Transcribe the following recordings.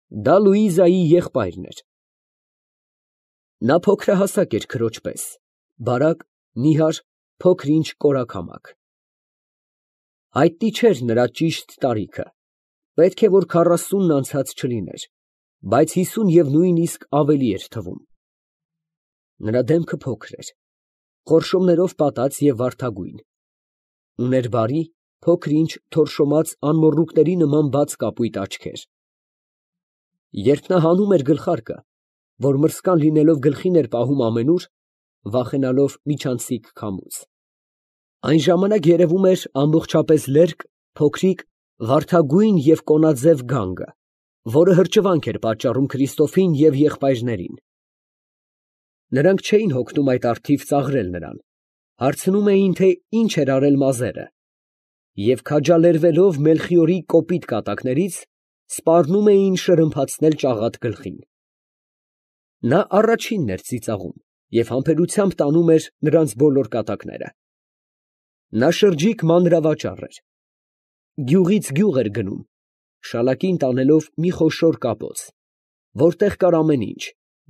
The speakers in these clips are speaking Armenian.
Դա Լուիզայի եղբայրն էր։ Նա փոքրահասակ էր քրոջ պես, բարակ, նիհար, փոքր֊ինչ կորակամակ։ Հայտնի չէր նրա ճիշտ տարիքը, պետք է որ 40-ն անցած չլիներ, բայց 50 և նույնիսկ ավելի էր թվում։ Նրա դեմքը փոքր էր, խորշոմներով պատած և վարդագույն, ուներ բարի, փոքր֊ինչ թորշոմած անմոռուկների նման բաց կապույտ աչքեր։ Երբ նա հանում էր գլխարկը, որ մրսկան լինելով գլխին էր պահում ամենուր, վախենալով միջանցիկ քամուց, այն ժամանակ երևում էր ամբողջապես լերկ, փոքրիկ, վարդագույն և կոնաձև գանգը, որը հրճվանք էր պատճառում Քրիստոֆին և եղբայրներին։ Նրանք չէին հոգնում այդ առթիվ ծաղրել նրան, հարցնում էին, թե ինչ էր արել մազերը, և քաջալերվելով Մելխիորի կոպիտ կատակներից, սպառնում էին շրմփացնել ճաղատ գլխին։ Նա առաջինն էր ծիծաղում և համբերությամբ տանում էր նրանց բոլոր կատակները։ Նա շրջիկ մանրավաճառ էր, գյուղից գյուղ էր գնում, շալակին տանելով մի խոշոր կապոց, որտեղ կար ամեն ինչ,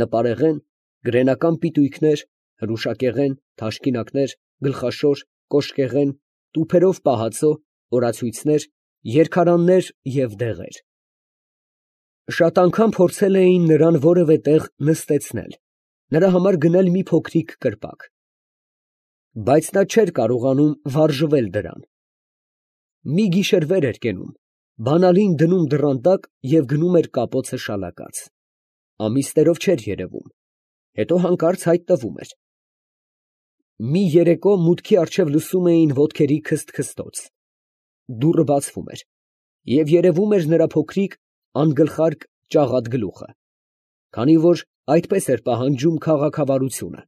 նպարեղեն, գրենական պիտույքներ, հրուշակեղեն, թաշկինակներ, գլխաշոր, կոշկեղեն, տուփերով պահածո, օրացույցներ, երգարաններ և դեղեր։ Շատ անգամ փորձել էին նրան որևէ տեղ նստեցնել, նրա համար գնել մի փոքրիկ կրպակ, բայց նա չէր կարողանում վարժվել դրան։ Մի գիշեր վեր էր կենում, բանալին դնում դռան տակ և գնում էր կապոցը շալակած, ամիսներով չէր երևում, հետո հանկարծ հայտնվում էր։ Մի երեկո մուտքի առջև լսում էին ոտքերի քսթքստոց, դուռը բացվում էր, և երևում էր նրա փոքրիկ, անգլխարկ ճաղատ գլուխը, քանի որ այդպես էր պահանջում քաղաքավարությունը,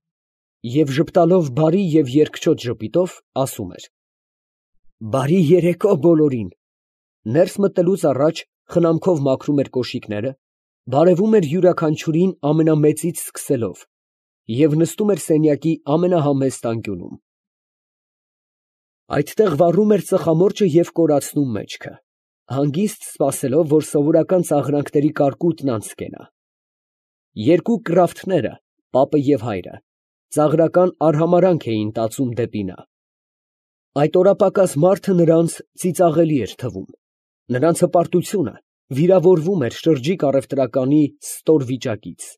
և ժպտալով բարի և երկչոտ ժպիտով ասում էր. «Բարի երեկո բոլորին»։ Ներս մտնելուց առաջ խնամքով մաքրում էր կոշիկները, բարևում էր յուրաքանչյուրին ամենամեծից սկսելով և նստում էր սենյակի ամենահամեստ անկյունում։ Այդտեղ վառում էր ծխամորճը և կորացնում մեջքը, հանգիստ սպասելով, որ սովորական ծաղրանքների կարկուտն անց կենա։ Երկու կռավթները, պապը և հայրը, ծաղրական արհամարհանք էին տածում դեպի նա։ Այդ օրապակաս մարդը նրանց ծիծաղելի էր թվում, նրանց հպարտությունը վիրավորվում էր շրջիկ առևտրականի ստոր վիճակից։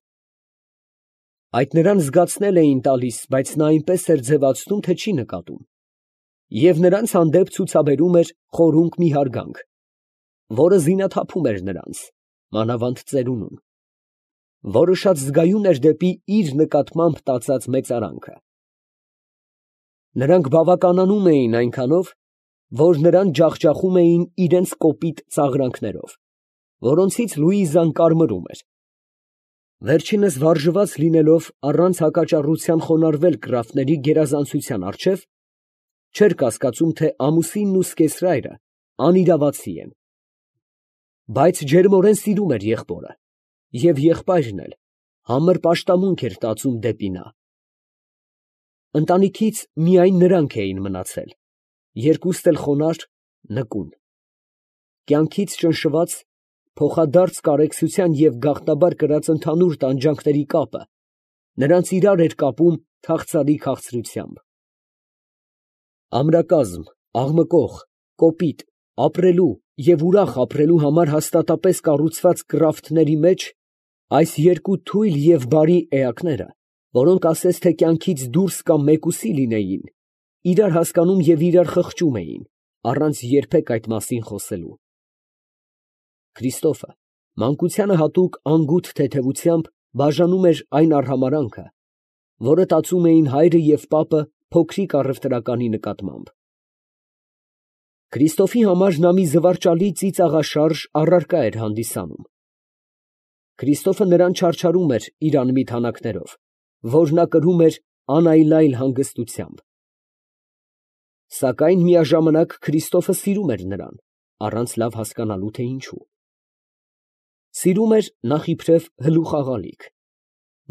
Այդ նրան զգացնել էին տալիս, բայց նա այնպես էր ձևացնում, թե չի նկատում, և նրանց հանդեպ ցուցաբերում էր խորունկ մի հարգանք, որը զինաթափում էր նրանց, մանավանդ ծերունուն, որը շատ զգայուն էր դեպի իր նկատմամբ տածած մեծարանքը։ Նրանք բավականանում էին այնքանով, որ նրան ջախջախում էին իրենց կոպիտ ծաղրանքներով, որոնցից Լուիզան կարմրում էր։ Վերջինս վարժված լինելով առանց հակաճառության խոնարհվել կռավտների գերազանցության առջև, չէր կասկածում, թե ամուսինն ու սկեսրայրը անիրավացի են, բայց ջերմորեն սիրում էր եղբորը, և եղբայրն էլ համր պաշտամունք էր տածում դեպի նա։ Ընտանիքից միայն նրանք էին մնացել, երկուստ էլ խոնարհ, նկուն, կյանքից ճնշված, փոխադարձ կարեկցության և գաղտնաբար կրած ընդհանուր տանջանքների կապը նրանց իրար էր կապում քաղցրալի քաղցրությամբ։ Ամրակազմ, աղմկող, կոպիտ, ապրելու և ուրախ ապրելու համար հաստատապես կառուցված կռավտների մեջ այս երկու թույլ և բարի էակները, որոնք ասես թե կյանքից դուրս կամ մեկուսի լինեին, իրար հասկանում և իրար խղճում էին, առանց երբեք այդ մասին խոսելու։ Քրիստոֆը մանկությանը հատուկ անգութ թեթևությամբ բաժանում էր այն արհամարհանքը, որը տածում էին հայրը և պապը փոքրիկ առևտրականի նկատմամբ։ Քրիստոֆի համար նա մի զվարճալի ծիծաղաշարժ առարկա էր հանդիսանում։ Քրիստոֆը նրան չարչարում էր իր անմիտ հանակներով, որ նա կրում էր անայլայլ հանգստությամբ։ Սակայն միաժամանակ Քրիստոֆը սիրում էր նրան, առանց լավ հասկանալու, թե ինչու։ Սիրում էր նախ իբրև հլուխ աղալիք,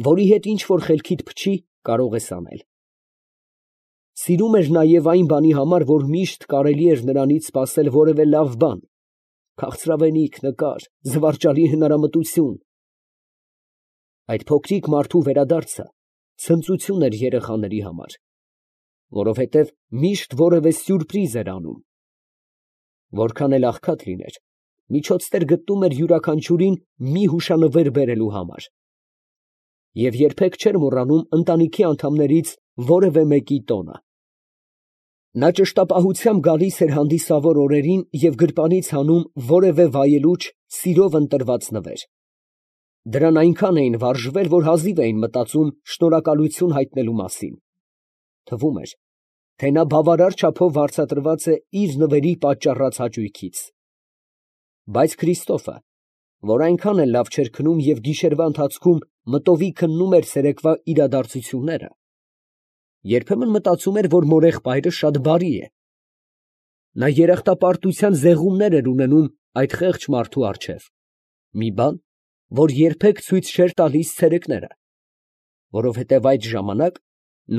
որի հետ ինչ որ խելքիդ փչի, կարող ես անել։ Սիրում էր նաև այն բանի համար, որ միշտ կարելի էր նրանից սպասել որևէ լավ բան, քաղցրավենիք, նկար, զվարճալի հնարամտություն։ Այդ փոքրիկ մարդու վերադարձը ցնծություն էր երեխաների համար, որովհետև միշտ որևէ սյուրպրիզ էր անում։ Որքան էլ աղքատ լիներ, միջոցներ գտնում էր յուրաքանչյուրին մի հուշանվեր բերելու համար։ Եվ երբեք չէր մոռանում ընտանիքի անդամներից որևէ մեկի տոնը։ Նա ճշտապահությամբ գալիս էր հանդիսավոր օրերին և գրպանից հանում որևէ վայելուչ, սիրով ընտրված նվեր։ Դրան այնքան էին վարժվել, որ հազիվ էին մտածում շնորհակալություն հայտնելու մասին։ Թվում էր, թե նա բավարար չափով վարձատրված է իր նվերի պատճառած հաճույքից։ Բայց Քրիստոֆը, որ այնքան էլ լավ չէր քնում և գիշերվա ընթացքում մտովի քննում էր ցերեկվա իրադարձությունները, երբեմն մտածում էր, որ մորեղբայրը շատ բարի է։ Նա երախտապարտության զեղումներ էր ունենում այդ խեղճ մարդու առջև, մի բան, որ երբեք ցույց չէր տալիս ցերեկները, որովհետև այդ ժամանակ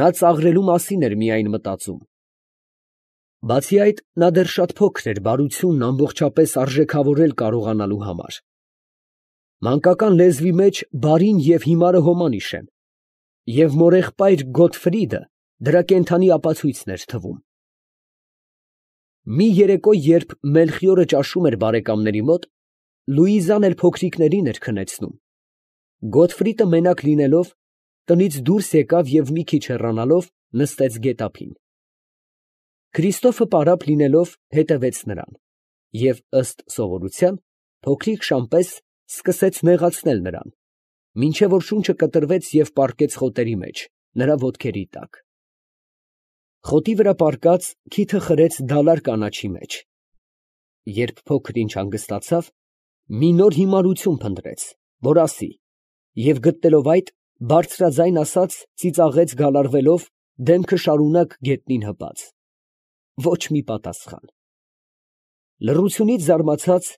նա ծաղրելու մասին էր միայն մտածում։ Բացի այդ, նա դեռ շատ փոքր էր բարությունն ամբողջապես արժեքավորել կարողանալու համար։ Մանկական լեզվի մեջ բարին և հիմարը հոմանիշ են, և մորեղբայր Գոտֆրիդը դրա կենդանի ապացույցն էր թվում։ Մի երեկո, երբ Մելխիորը ճաշում էր բարեկամների մոտ, Լուիզան էլ փոքրիկներին էր քնեցնում, Գոտֆրիդը մենակ լինելով, տնից դուրս եկավ և մի քիչ հեռանալով նստեց գետափին։ Քրիստոֆը պարապ լինելով հետևեց նրան և, ըստ սովորության, փոքրիկ շան պես սկսեց նեղացնել նրան, մինչև որ շունչը կտրվեց և պառկեց խոտերի մեջ, նրա ոտքերի տակ։ Խոտի վրա պառկած, քիթը խրեց դալար կանաչի մեջ։ Երբ փոքր ինչ հանգստացավ, մի նոր հիմարություն փնտրեց, որ ասի, և գտնելով այդ, բարձրաձայն ասաց ծիծաղեց գալարվելով, դեմքը շարունակ գետնին հպած։ Ոչ մի պատասխան։ Լռությունից զարմացած,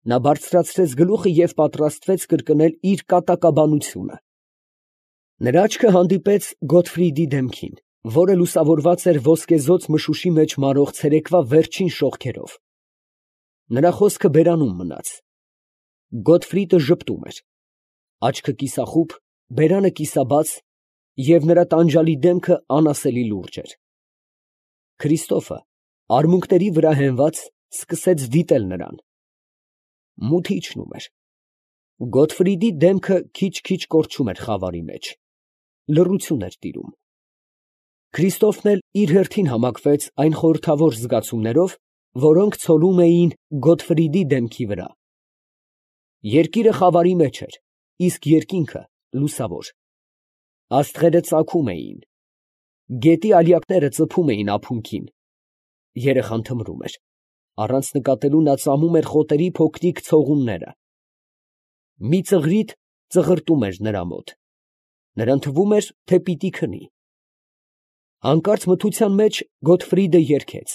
նա բարձրացրեց գլուխը և պատրաստվեց կրկնել իր կատակաբանությունը։ Նրա աչքը հանդիպեց Գոտֆրիդի դեմքին, որը լուսավորված էր ոսկեզօծ մշուշի մեջ մարող ցերեկվա վերջին շողքերով։ Նրա խոսքը բերանում մնաց։ Գոտֆրիդը ժպտում էր, աչքը կիսախուբ, բերանը կիսաբաց, և նրա տանջալի դեմքը անասելի լուրջ էր։ Քրիստոֆը, արմունկների վրա հենված, սկսեց դիտել նրան։ Մութը իջնում էր։ Գոտֆրիդի դեմքը քիչ֊քիչ կորչում էր խավարի մեջ։ Լռություն էր տիրում։ Քրիստոֆն էլ իր հերթին համակվեց այն խորհրդավոր զգացումներով, որոնք ցոլում էին Գոտֆրիդի դեմքի վրա։ Երկիրը խավարի մեջ էր, իսկ երկինքը լուսավոր։ Աստղերը ծագում էին։ Գետի ալյակները ծփում էին ափունկին։ Երեխան թմրում էր, առանց նկատելու նա ծամում էր խոտերի փոքրիկ ցողունները։ Մի ծղրիդ ծղրտում էր նրա մոտ։ Նրան թվում էր, թե պիտի քնի։ Հանկարծ մթության մեջ Գոտֆրիդը երգեց։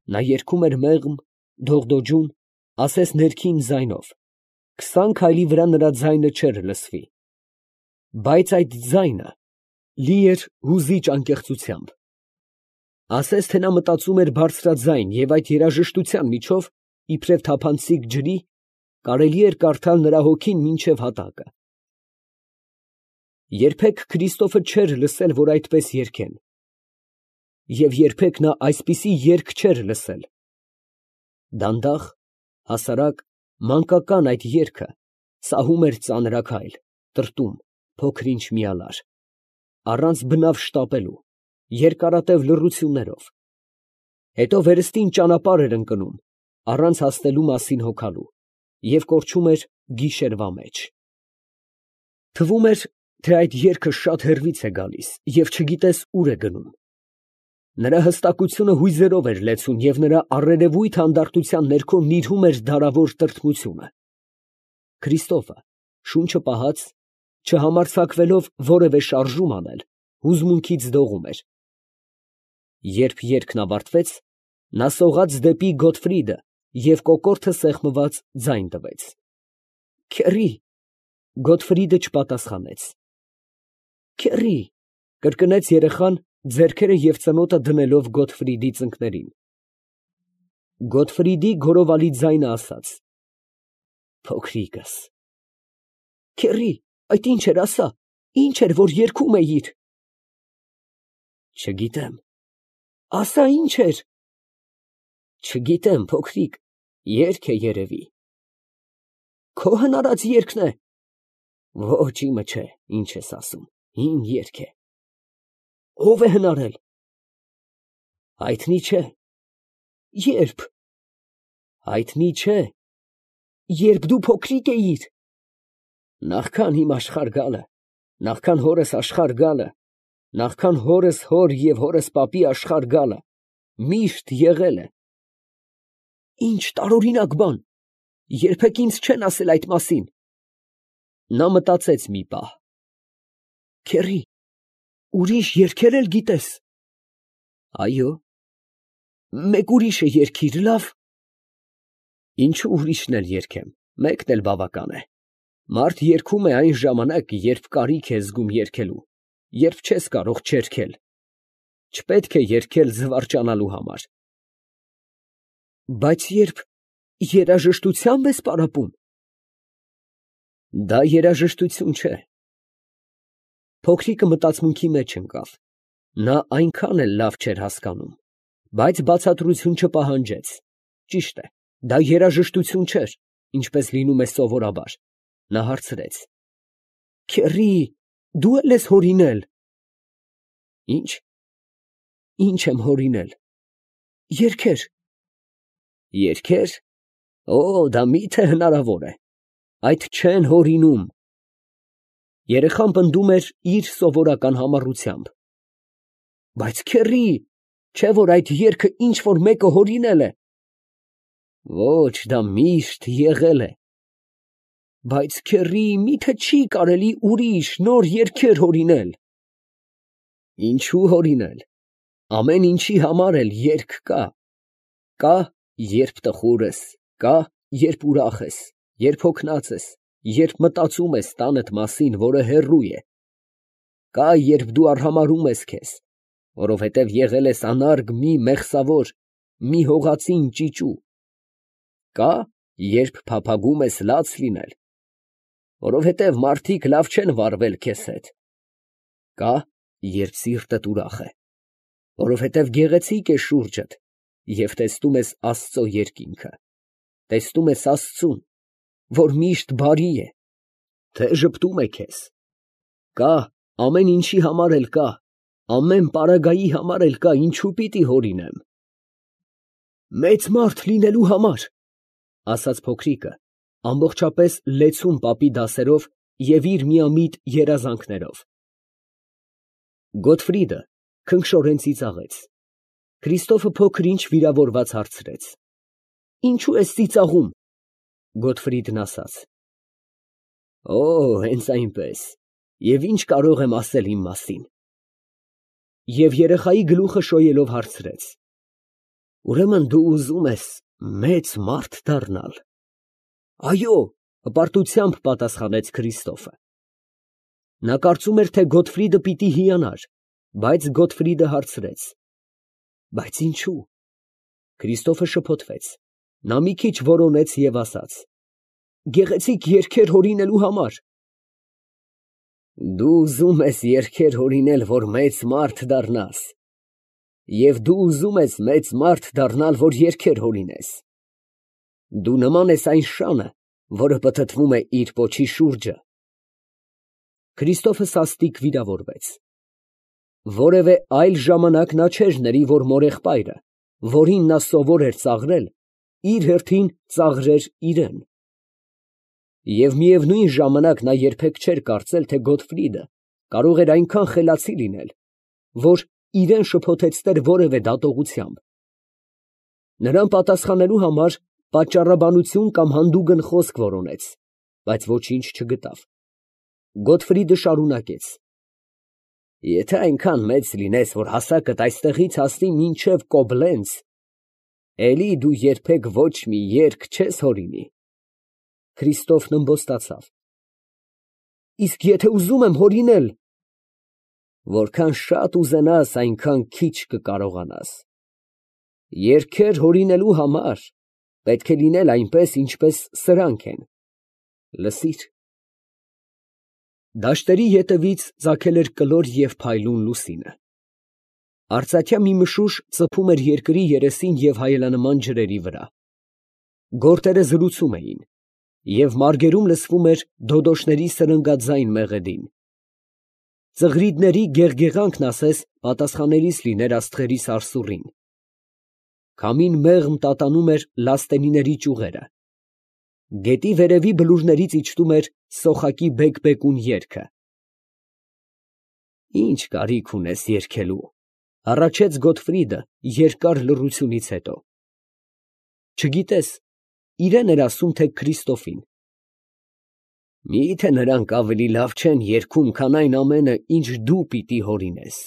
Նա երգում էր մեղմ, դողդոջուն, ասես ներքին ձայնով, 20 քայլի վրա նրա ձայնը չէր լսվի։ Բայց այդ ձայնը լի էր հուզիչ անկեղծությամբ։ Ասես թե նա մտածում էր բարձրաձայն և այդ երաժշտության միջով, իբրև թափանցիկ ջրի, կարելի էր կարդալ նրա հոգին մինչև հատակը։ Երբեք Քրիստոֆը չէր լսել, որ այդպես երգեն։ Եվ երբեք նա այսպիսի երգ չէր լսել։ Դանդաղ, հասարակ, մանկական այդ երգը սահում էր ծանրաքայլ, տրտում, փոքր-ինչ միալար, առանց բնավ շտապելու, երկարատև լռություններով, հետո վերստին ճանապարհ էր ընկնում, առանց հասնելու մասին հոգալու, և կորչում էր գիշերվա մեջ։ Թվում էր, թե այդ երգը շատ հեռվից է գալիս և չգիտես ուր է գնում։ Նրա հստակությունը հույզերով էր լեցուն և նրա առերևույթ հանդարտության ներքո նիրհում էր դարավոր տրտմությունը։ Քրիստոֆը, շունչը պահած, չհամարձակվելով որևէ շարժում անել, հուզմունքից դողում էր։ Երբ երգն ավարտվեց, նա սողաց դեպի Գոտֆրիդը և կոկորդը սեղմված ձայն տվեց։ «Քեռի», Գոտֆրիդը չպատասխանեց։ «Քեռի», կրկնեց երեխան, ձեռքերը և ծնոտը դնելով Գոտֆրիդի ծնկներին։ Գոթֆրիդի գորովալի ձայնը ասաց. Փոքրիկս։ Քեռի, այդ ինչ էր, ասա, ինչ էր, որ երգում էիր։ Չգիտեմ։ Ասա, ինչ էր։ Չգիտեմ, փոքրիկ, երգ է երևի։ Քո հնարած երգն է։ Ոչ, իմը չէ, ինչ ես ասում, իմ երգ է։ Ո՞վ է հնարել։ Հայտնի չէ։ Երբ։ Հայտնի չէ։ Երբ դու փոքրիկ էիր։ Նախքան իմ աշխարհ գալը, նախքան հորս աշխարհ գալը, նախքան հորս հոր և հորս պապի աշխարհ գալը, միշտ եղել է։ Ինչ տարօրինակ բան, երբեք ինձ չեն ասել այդ մասին։ Նա մտածեց մի պահ։ Քեռի, ուրիշ երգեր էլ գիտես։ Այո։ Մեկ ուրիշը երգիր, լավ։ Ինչու ուրիշն էլ երգեմ, մեկն էլ բավական է։ Մարդ երգում է այն ժամանակ, երբ կարիք է զգում երգելու, երբ չես կարող չերգել։ Չպետք է երգել զվարճանալու համար։ Բայց երբ երաժշտությամբ ես պարապում։ Դա երաժշտություն չէ։ Փոքրիկը մտածմունքի մեջ ընկավ։ Նա այնքան էլ լավ չէր հասկանում, բայց բացատրություն չպահանջեց։ Ճիշտ է, դա երաժշտություն չէր, ինչպես լինում է սովորաբար։ Նա հարցրեց. Քեռի, դու էլ ես հորինել։ Ինչ։ Ինչ եմ հորինել։ Երգեր։ Երգեր։ Օ, դա միթե հնարավոր է։ Այդ չեն հորինում։ Երեխան պնդում էր իր սովորական համառությամբ։ Բայց քեռի, չէ որ այդ երգը ինչ որ մեկը հորինել է։ Ոչ, դա միշտ եղել է։ Բայց քեռի, միթե չի կարելի ուրիշ նոր երգեր հորինել։ Ինչու հորինել։ Ամեն ինչի համար էլ երգ կա։ Կա, երբ տխուր ես, կա, երբ ուրախ ես, երբ հոգնած ես, երբ մտածում ես տանդ մասին, որը հեռու է։ Կա, երբ դու արհամարհում ես քեզ, որովհետև եղել ես անարգ մի մեղսավոր, մի հողածին ճիճու։ Կա, երբ փափագում ես լաց լինել, որովհետև մարդիկ լավ չեն վարվել քեզ հետ։ Կա, երբ սիրտդ ուրախ է, որովհետև գեղեցիկ է շուրջդ և տեսնում ես Աստծո երկինքը, տեսնում ես Աստծուն, որ միշտ բարի է, թե ժպտում է քեզ։ Կա, ամեն ինչի համար էլ կա, ամեն պարագայի համար էլ կա, ինչու պիտի հորինեմ։ Մեծ մարդ լինելու համար, ասաց փոքրիկը, ամբողջապես լեցուն պապի դասերով և իր միամիտ երազանքներով։ Գոթֆրիդը քնքշորեն ծիծաղեց։ Քրիստոֆը փոքր-ինչ վիրավորված հարցրեց. Ինչու ես ծիծաղում։ Գոթֆրիդն ասաց. Օ, հենց այնպես, և ինչ կարող եմ ասել իմ մասին։ Եվ երեխայի գլուխը շոյելով հարցրեց. Ուրեմն դու ուզում ես մեծ մարդ դառնալ։ Այո, հպարտությամբ պատասխանեց Քրիստոֆը։ Նա կարծում էր, թե Գոթֆրիդը պիտի հիանար, բայց Գոթֆրիդը հարցրեց. Բայց ինչու։ Քրիստոֆը շփոթվեց։ Նա մի քիչ որոնեց և ասաց. Գեղեցիկ երգեր հորինելու համար։ Դու ուզում ես երգեր հորինել, որ մեծ մարդ դառնաս։ Եվ դու ուզում ես մեծ մարդ դառնալ, որ երգեր հորինես։ Դու նման ես այն շանը, որը պտտվում է իր պոչի շուրջը։ Քրիստոֆը սաստիկ վիրավորվեց։ Որևէ այլ ժամանակ նա չէր ների, որ մորեղբայրը, որին նա սովոր էր ծաղրել, իր հերթին ծաղրեր իրան։ Եվ միևնույն ժամանակ նա երբեք չէր կարծել, թե Գոթֆրիդը կարող էր այնքան խելացի լինել, որ իրան շփոթեցներ որևէ դատողությամբ։ Նրան պատասխանելու համար պատճառաբանություն կամ հանդուգն խոսք որոնեց, բայց ոչինչ չգտավ։ Գոթֆրիդը շարունակեց. Եթե այնքան մեծ լինես, որ հասակդ այստեղից հասնի մինչև Կոբլենց, էլի դու երբեք ոչ մի երգ չես հորինի։ Քրիստոֆն ըմբոստացավ։ Իսկ եթե ուզում եմ հորինել։ Որքան շատ ուզենաս, այնքան քիչ կկարողանաս։ Երգեր հորինելու համար պետք է լինել այնպես, ինչպես սրանք են, լսիր։ Դաշտերի ետևից ծագել էր կլոր և փայլուն լուսինը։ Արծաթյա մի մշուշ ծփում էր երկրի երեսին և հայելանման ջրերի վրա։ Գորտերը զրուցում էին, և մարգերում լսվում էր դոդոշների սրնգաձայն մեղեդին։ Ծղրիդների գեղգեղանքն ասես պատասխանելիս լիներ աստղերի սարսուռին։ Քամին մեղմ տատանում էր լաստենիների ճյուղերը։ Գետի վերևի բլուրներից իջնում էր սոխակի բեկ֊բեկուն երգը։ Ի՞նչ կարիք ունես երգելու, ֊ հառաչեց Գոտֆրիդը երկար լռությունից հետո։ Չգիտես, իրան էր ասում, թե Քրիստոֆին։ Մի՞թե նրանք ավելի լավ չեն երգում, քան այն ամենը, ինչ դու պիտի հորինես։